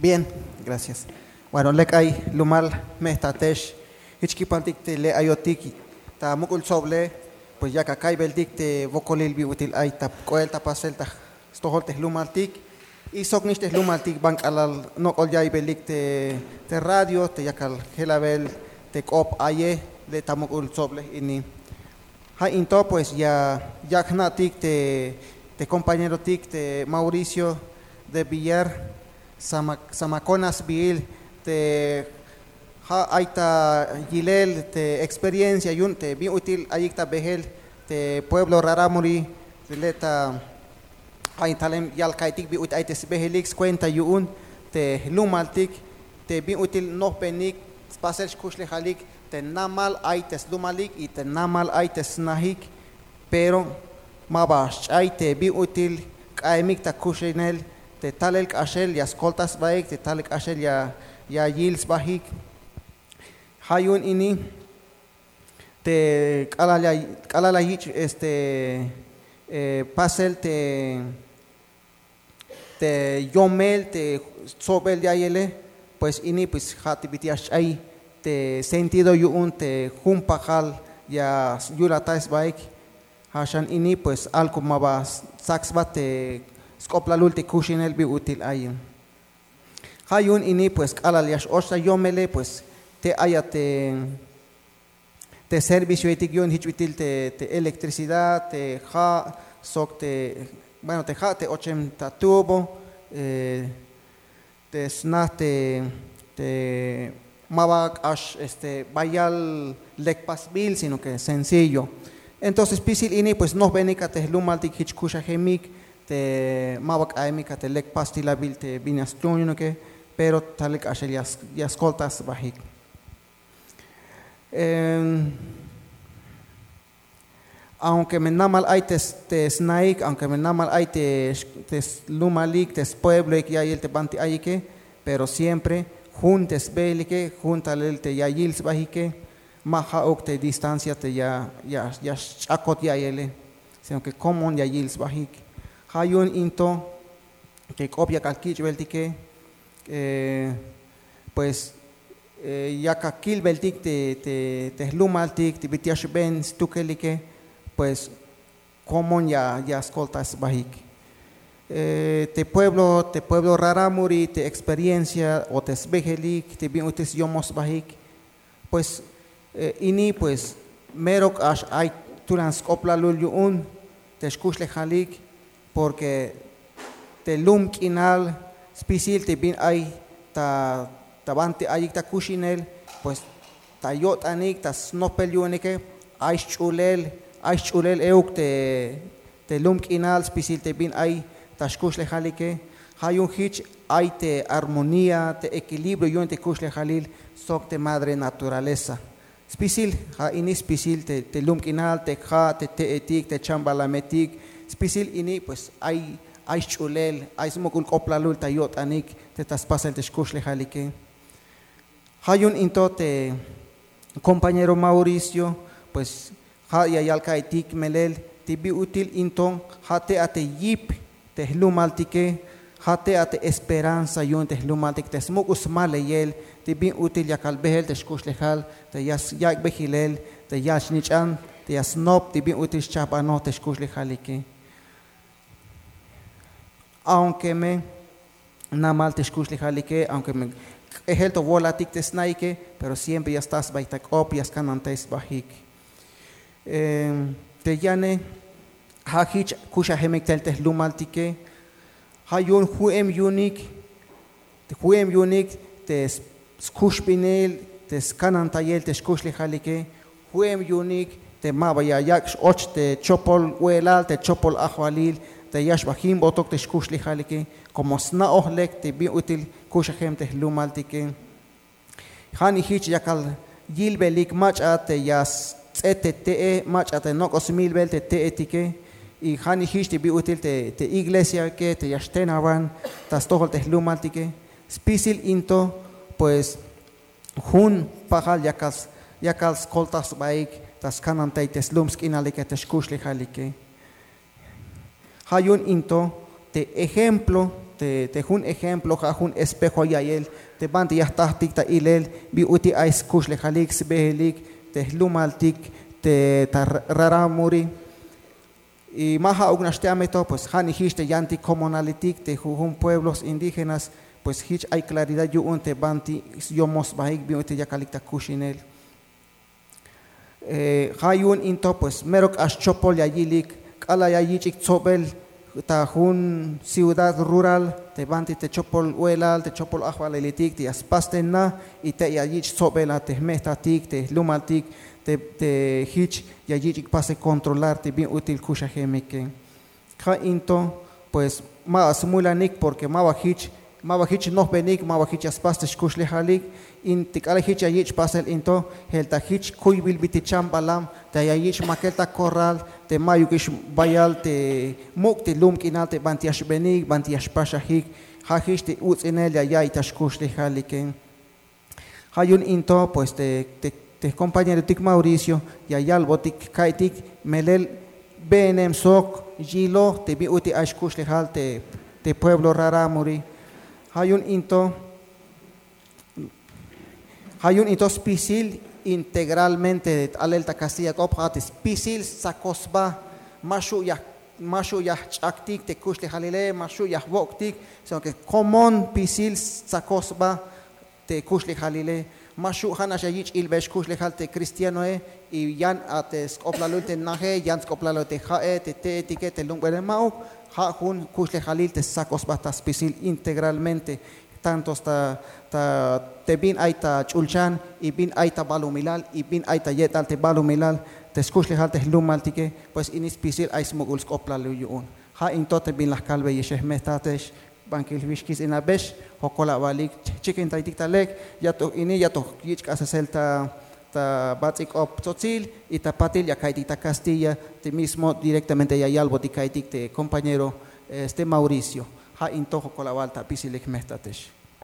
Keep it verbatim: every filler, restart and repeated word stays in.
Bien, gracias. Bueno, lek ay lumal, me ta tex jich kipaltik te le' ayotik ta muk'ul tsoble, pues yak akaybeltik te wokolil bin ut'il ay ta k'oel ta pasel ta stojol te jlumaltik. Y sok nix te jlumaltik ban k'alal nok'ol ya'iybelik te radio te yakal jelabel te k'op aye le' ta muk'ul tsoble ini. Ja' into pues ya yak jna'tik te te kompañerotik te Mauricio de Villar, sama sama kona sbiil te ja' ay ta yilel te experiencia yu'un te bin ut'il ayik ta bejel te pueblo raramuri te le' ta ay talem yalkaytik bin ut'il ay te sbejelik skuenta yu'un te jlumaltik te bin ut'il nojbenik spasel xkuxlejalik te namal ay te slumalik y te namal ay te snajik. Pero ma ba xch'ay te bin ut'il k'a'emik ta kuxinel te talel k'axel ya skolta sbahik te talel k'axel ya ya yil sbahik. Ja' yu'un ini te k'alal ya k'alal ya yich' este pasel te te yomel te stsobel ya'iyele. Pues ini pues ja' te bit'il ya xch'ay te sentido yu'un te jun pajal ya yulatay sbahik. Ja' xan ini pues algo ma ba stsak sba te sk'oplalul te kuxinel bin ut'il ayin. Ja' yu'un ini pues k'alal ya x-och ta yomele pues te ay a te te servicioetik yu'un jich bit'il te electricidad te ja' sok te bueno te ja' te ochem ta tubo te sna te te ma ba k'ax este bayal lek pasbil sino ke sencillo. Entonces spisil ini pues nojbenik a te jlumaltik jich kuxajemik te ma ba k'a'emik a te lek pastilabil te bin ya stuunuke pero talel k'axel ya skolta sbahik. Aunke me namal ay te snahik aunke me namal ay te slumalik te spuebloik ya'iyel te banti ayike, pero siempre jun te sbejelike jun talel te ya yil sbahike. Ma ja'uk te distancia te ya ya xch'akot ya'iyele sino ke komon ya yil sbahik. Ja' yu'un into te k'op yakal kich'beltike pues yakal kilbeltik te jlumaltik te bit'il ya xben stukelike. Pues komon ya skolta sbahik te pueblo te pueblo raramuri te experiencia o te sbejelik te bin ut'il syomoj sbahik. Pues ini pues mero k'ax ay tulan sk'oplalul yu'un te xkuxlejalik. Porke te lum k'inal spisil te bin ay ta ta banti ayik ta kuxinel pues ta yo'tanik ta snopel yu'unike ay xch'ulel ay xch'ulel euk te te lum k'inal spisil te bin ay ta xkuxlejalike. Ja' yu'un jich ay te armonía te equilibrio yu'un te kuxlejalil sok te madre naturaleza. Spisil ja' ini spisil te lum k'inal te ja' te te'etik te chambalametik spisil ini pues ay ay xch'ulel ay smuk'ul k'oplalul ta yo'tanik te ta spasel te xkuxlejalike. Ja' yu'un into te kompañero mauricio pues ja' ya yal ka'aytik melel te bi ut'il into ja' te a te yip te jlumaltike. Ja' te a te esperanza yu'un te jlumaltik te smuk'ul smaleyel te bin ut'il yakal behel te xkuxlejal te ya yak' behilel te ya snich'an te ya snop te bin ut'il xchajbanoj te xkuxlejalike. Aunke me namal te xkuxlejalike aunke me k'ejel to wolatik te sna'ike pero siempre ya sta sbahik ta k'op ya skanantay sbahik. Te yane ja' jich kuxajemik tel te jlumaltike. Ja' yu'un ju'em yu'unik ju'em yu'unik te skuxbinil te skanantayel te xkuxlejalike. Ju'em yu'unik te ma ba ya yak' x-och te chopol we'elal te chopol ajwalil te ya xba jimbotok te xkuxlejalike. Komo sna'oj lek te bin ut'il kuxajem te jlumaltike. Ja'nix jich yakal yilbelik mach'a te ya sts'et te te'e mach'a te nok'o smilbel te te'etike. Y ja'nix jich te bin ut'il te iglesiake te ya xtenawan ta stojol te jlumaltike. Spisil in to pues jun pajal yakal skoltaj sbaik ta skanantay te slum sk'inalike te xkuxlejalike. Ja' yu'un in to te ejemplo Te jun ejemplo ja' jun espejo ya'iyel te banti ya jtajtik ta ilel bin ut'il ay skuxlejalik sb'ejelik te jlumaltik te ta raramuri. Y ma ja'uk nax te amej to pues ja' nix jich te yantik komonalitik te jujun pueblos indígenas, pues jich ay klaridad yu'un te banti yomoj sb'ajik bin ut'il yakalik ta kuxinel. Ja' yu'un in to pues mero k'ax chopol ya yilik k'alal ya yich'ik tsob'el ta jun ciudad rural te banti te chopol we'elal te chopol ajwaleletik te ya spas te na, y te ya yich' tsob'el a te jme'jtatik te jlumaltik te jich ya yich'ik pasel kontrolar te bin ut'il kuxajemike. Ja' in to pues ma ba smulanik porke ma ba jich ma ba jich nojb'enik ma ba jich ya spas te xkuxlejalik. In te k'alal jich ya yich' pasel in to, jel ta jich kuyb'il bit'il chamb'alam te ya yich' makel ta korral te mayukix bayal te muk' te lum k'inal te banti ya xb'enik banti ya xpaxajik. Ja' jich te utz'inel ya ya'iy ta xkuxlejalike. Ja' yu'un in to pues te jkompañerotik Mauricio ya yalb'otik ka'itik melel b'eenem sok yiloj te bin ut'il ay xkuxlejal te pueblo raramuri. Ja' yu'un in to ja' yu'un in to spisil integralmente t'alel ta kastilla k'op ja' te spisil stsakoj sba. Ma xu' ya jch'aktik te kuxlejalile ma xu' ya jwok'tik, sino ke komon spisil stsakoj sba te kuxlejalile. Ma xu' ja' nax ya yich' ilb'ex kuxlejal te kristianoe y yan a te sk'oplalil te naje yan sk'oplalil te ja'e te te'etike te lumb'ene ma'uk. Ja' jun kuxlejalil te stsakoj sba ta spisil integralmente tanto ta te bin ay ta ch'ulchan y bin ay ta balumilal y bin ay ta ye'tal te balumilal te skuxlejal te jlumaltike. Pues ini spisil ay smuk'ul sk'oplalil yu'un. Ja' in to te bin la jkalbeyexe jme'jtatex bankil jwix kis in abex jokol awalik. Chikintaytik ta lek ya toj ini ya toj yich' k'asesel ta bats'il k'op tzotzil y ta patil ya ka'iytik ta kastilla te mismo direktamente ya yalbotik ka'iytik te kompañero este mauricio. Ja' in to jokol awal ta bisilik jme'jtatex.